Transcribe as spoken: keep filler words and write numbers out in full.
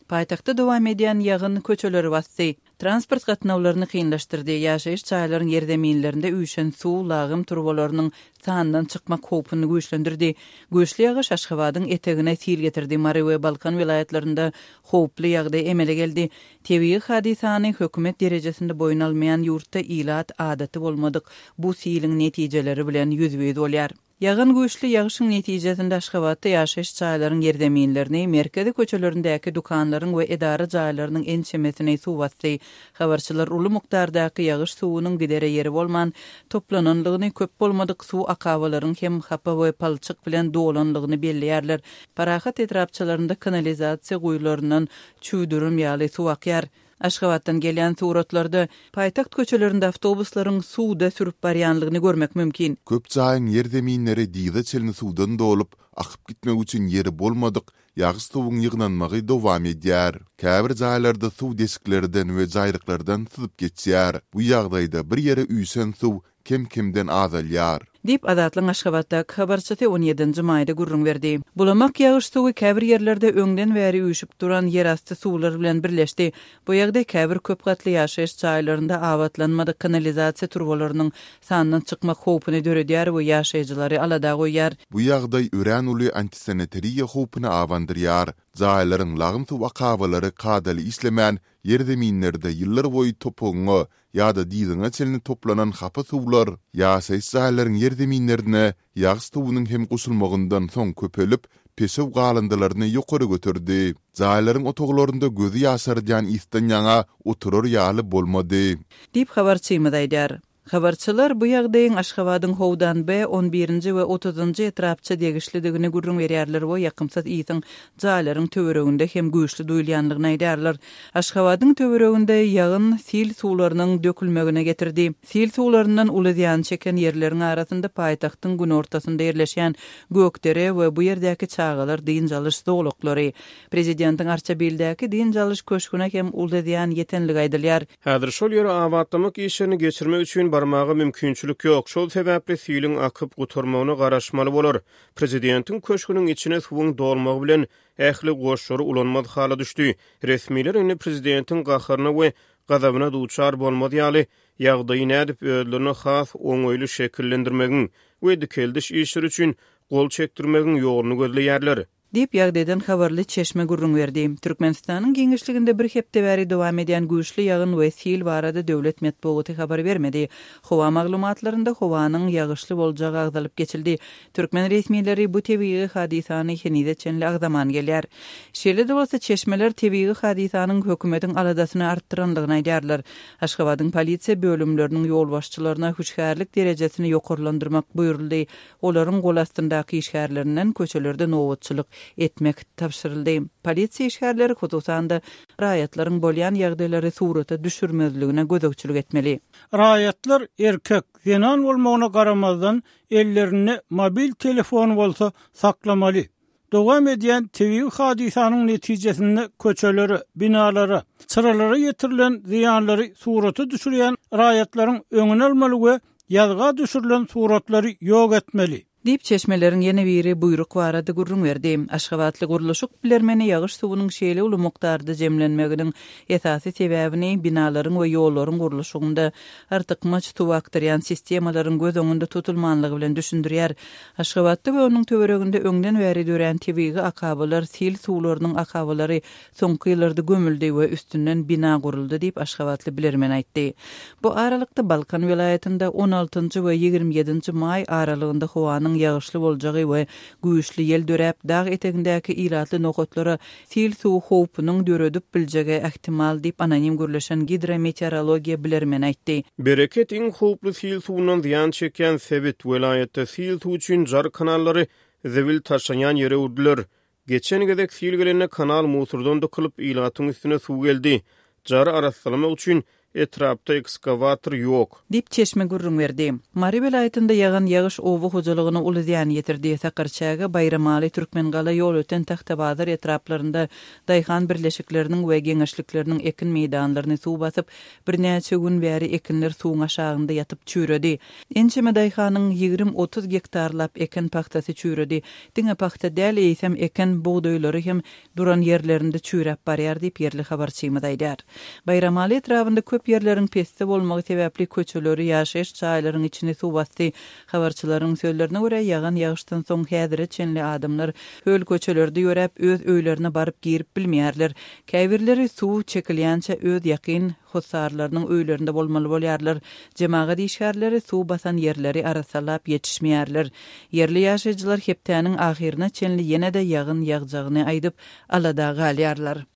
Paýtagtda dowam edýän ýagyn köçeleri basdy. Transport gatnawlaryny kynlaşdyrdy. Ýaşaýyş jaýlaryň ýerzeminlerinde üýşen suw lagym turbalarynyň sandan çykmak howpuny güýçlendirdi. Güýçli ýagyş Aşgabadyň etegine sil getirdi. Mary we Balkan welaýatlarynda howply ýagdaý emele geldi. Tebigy hadysany hökümet derejesinde boýun almaýan ýurtda ilat adaty bolmadyk bu siliň netijeleri bilen ýüzbe-ýüz bolýar. Ýagan güýçli ýagyşyň netijesinde Aşgabatda ýaşaýyş jaýlaryň ýerzeminlerini, merkezi köçelerindäki dükanlaryň we edara jaýlarynyň ençemesini suw basdy. Habarçylar uly mukdardaky ýagyş suwunyň gidere ýeri bolman toplananlygyny, köp bolmadyk suw akabalaryň hem hapa we palçyk bilen dolanlygyny belleýärler. Parahat etrapçalarynda kanalizasiýa guýularyndan çüwdürim ýaly suw akýar. Aşgabatdan gelýän suratlarda paýtagt köçelerinde awtobuslaryň suwda sürüp barýanlygyny görmek mümkin. Köp jaýyň ýerzeminleri dyza çenli suwdan dolup, akyp gitmek üçin ýeri bolmadyk ýagyş suwuň ýygnanmagy dowam edýär. Käbir jaýlarda suw deşiklerden we jaýryklardan syzyp geçýär. Bu ýagdaýda bir ýere üýşen suw kem-kemden azalýar. Diýip, Azatlygyň Aşgabatdaky habarçysy on ýedinji maýda gürrüň berdi. Bulamak ýagyş suwy käbir ýerlerde öňden bäri üýşüp duran ýerasty suwlar bilen birleşdi. Bu ýagdaý käbir köp gatly ýaşaýyş jaýlarynda abatlanmadyk kanalizasiýa turbalarynyň sandan çykmak howpuny döredýär we ýaşaýjylary alada goýýar. Bu ýagdaý örän uly antisanitariýa howpuny abandyrýar. Jaýlaryň lagym suw akabalary kadaly işlemän, ýerzeminlerde ýyllar boýy topugyňa ýa-da dyzyňa çenli toplanan hapa suwlar ýaşaýyş jaýlaryň ýerzeminlerine ýagyş suwunyň hem goşulmagyndan soň köpelip, peşew galyndylaryny ýokary göterdi. Jaýlaryň otaglarynda gözi ýaşardýan ysdan ýaňa oturar ýaly bolmady. Diýip habarçymyz aýdýar. Habarçylar bu ýagdaýyň Aşgabadyň Howdan B on birinji we otuzynjy etrapça degişlidigini gürrüň berýärler we ýakymsyz ýygyň jaýlaryň töwereginde hem güýçli duýulýanlygyny aýdýarlar. Aşgabadyň töwereginde ýagyn sil suwlarynyň dökülmegine getirdi. Sil suwlaryndan uly zyýan çeken ýerleriň arasynda paýtagtyň günortasynda ýerleşýän Gökdere we bu ýerdäki çagalar dynç alyş zolaklary. Prezidentiň Arçabildäki dynç alyş köşgüne hem uly zyýan ýetenligi aýdylýar. Häzir şol ýere abatlamak işlerini geçirmek üçin barmaga mümkinçilik ýok. Şol sebäpli siliň akyp gutarmagyna garaşmaly bolar. Prezidentiň köşgüniň içine suwuň dolmagy bilen ähli goşlary ulanmaz hala düşdi. Resmiler indi prezidentiň gaharyna we gazabyna duçar bolmaz ýaly ýagdaýy nädip özlerine has oňaýly şekillendirmegiň we dikeldiş işleri üçin gol çekdirmegiň ýoluny gözleýärler. Diýip ýagdaýdan habarly çeşme gürrüň berdi. Türkmenistanyň giňişliginde bir hepde bäri dowam edýän güýçli ýagyn we sil barada döwlet metbugaty habar bermedi. Howa maglumatlarynda howanyň ýagyşly boljagy agzalyp geçildi. Türkmen resmileri bu tebigy hadysany henize çenli agzaman gelýär. Şeýle-de bolsa çeşmeler tebigy hadysanyň hökümetiň aladasyny artdyranlygyny aýdýarlar. Aşgabadyň polisiýa bölümleriniň ýolbaşçylaryna hüşgärlik derejesini ýokarlandyrmak buýruldy. Olaryň gol astyndaky işgärlerinden köçelerde nobatçylyk etmek tabşyryldy. Polisiýa işgärleri hususan-da raýatlaryň bolýan ýagdaýlary surata düşürmezligine gözegçilik etmeli. Raýatlar erkek, zenan bolmagyna garamazdan ellerinde mobil telefon bolsa saklamaly. Dowam edýän tebigy hadysanyň netijesinde köçelere, binalara, çyralara ýetirilen zyýanlary surata düşürýän raýatlaryň öňüni almaly we ýazga düşürilen suratlary ýok etmeli. Diýip çeşmeleriň ýene biri buýruk barada gürrüň berdi. Aşgabatly gurluşyk bilermeni ýagyş suwunyň şeýle uly mukdarda jemlenmeginiň esasy sebäbini binalaryň we ýollaryň gurluşygynda artykmaç suw akdyrýan sistemalaryň göz öňünde tutulmanlygy bilen düşündirýär. Aşgabatda we onuň töwereginde öňden bäri dörän tebigy akabalar, sil suwlarynyň akabalary soňky ýyllarda gömüldi we üstünden bina guruldy diýip Aşgabatly bilermen aýtdy. Bu aralykda Balkan welaýatynda on altynjy we ýigrimi ýedinji maý aralygynda howanyň ýagyşly boljagy we güýçli ýel döräp, dag etegindäki ilatly nokatlara sil suw howpunyň döredip biljegi ähtimal diýip anonim gürleşen gidrometeorologiýa bilermen aýtdy. Bereket iň howply sil suwundan zyýan çekýän sebit welaýatda sil suw üçin jar kanallary zibil taşlanýan ýere öwrüdiler. Geçen gezek sil gelende kanal musurdan dykylyp ilatyň üstüne suw geldi. Jary arassalamak üçin Etrapda ekskawator ýok. Diýip çeşme gürrüň berdi. Mary welaýatynda ýagan ýagyş oba hojalygyna uly zyýan ýetirdi. Sakarçäge, Baýramaly, Türkmengala, Ýolöten, Tagtabazar etraplarynda daýhan birleşikleriniň we geňeşlikleriniň ekin meýdanlaryny suw basyp, birnäçe gün bäri ekinler suwuň aşagynda ýatyp çüýredi. Ençeme daýhanyň ýigrimi-otuz gektarlap eken pagtasy çüýredi. Diňe pagta däl, eýsem eken bugdaýlary hem duran ýerlerinde çüýräp barýar diýip ýerli habarçymyz aýdýar. Baýramaly etrabynda köp ýerleriň pesde bolmagy sebäpli köçeleri, ýaşaýyş jaýlaryň içini suw basdy. Habarçylaryň sözlerine görä, ýagan ýagyşdan soň häzire çenli adamlar höl köçelerde ýöräp, öz öýlerine baryp girip bilmeýärler. Käbirleri suw çekilýänçe öz ýakyn hossarlarynyň öýlerinde bolmaly bolýarlar. Jemagat işgärleri suw basan ýerleri arassalap ýetişmeýärler. Ýerli ýaşaýjylar hepdäniň ahyryna çenli ýene-de ýagyn ýagjagyny aýdyp, alada galýarlar.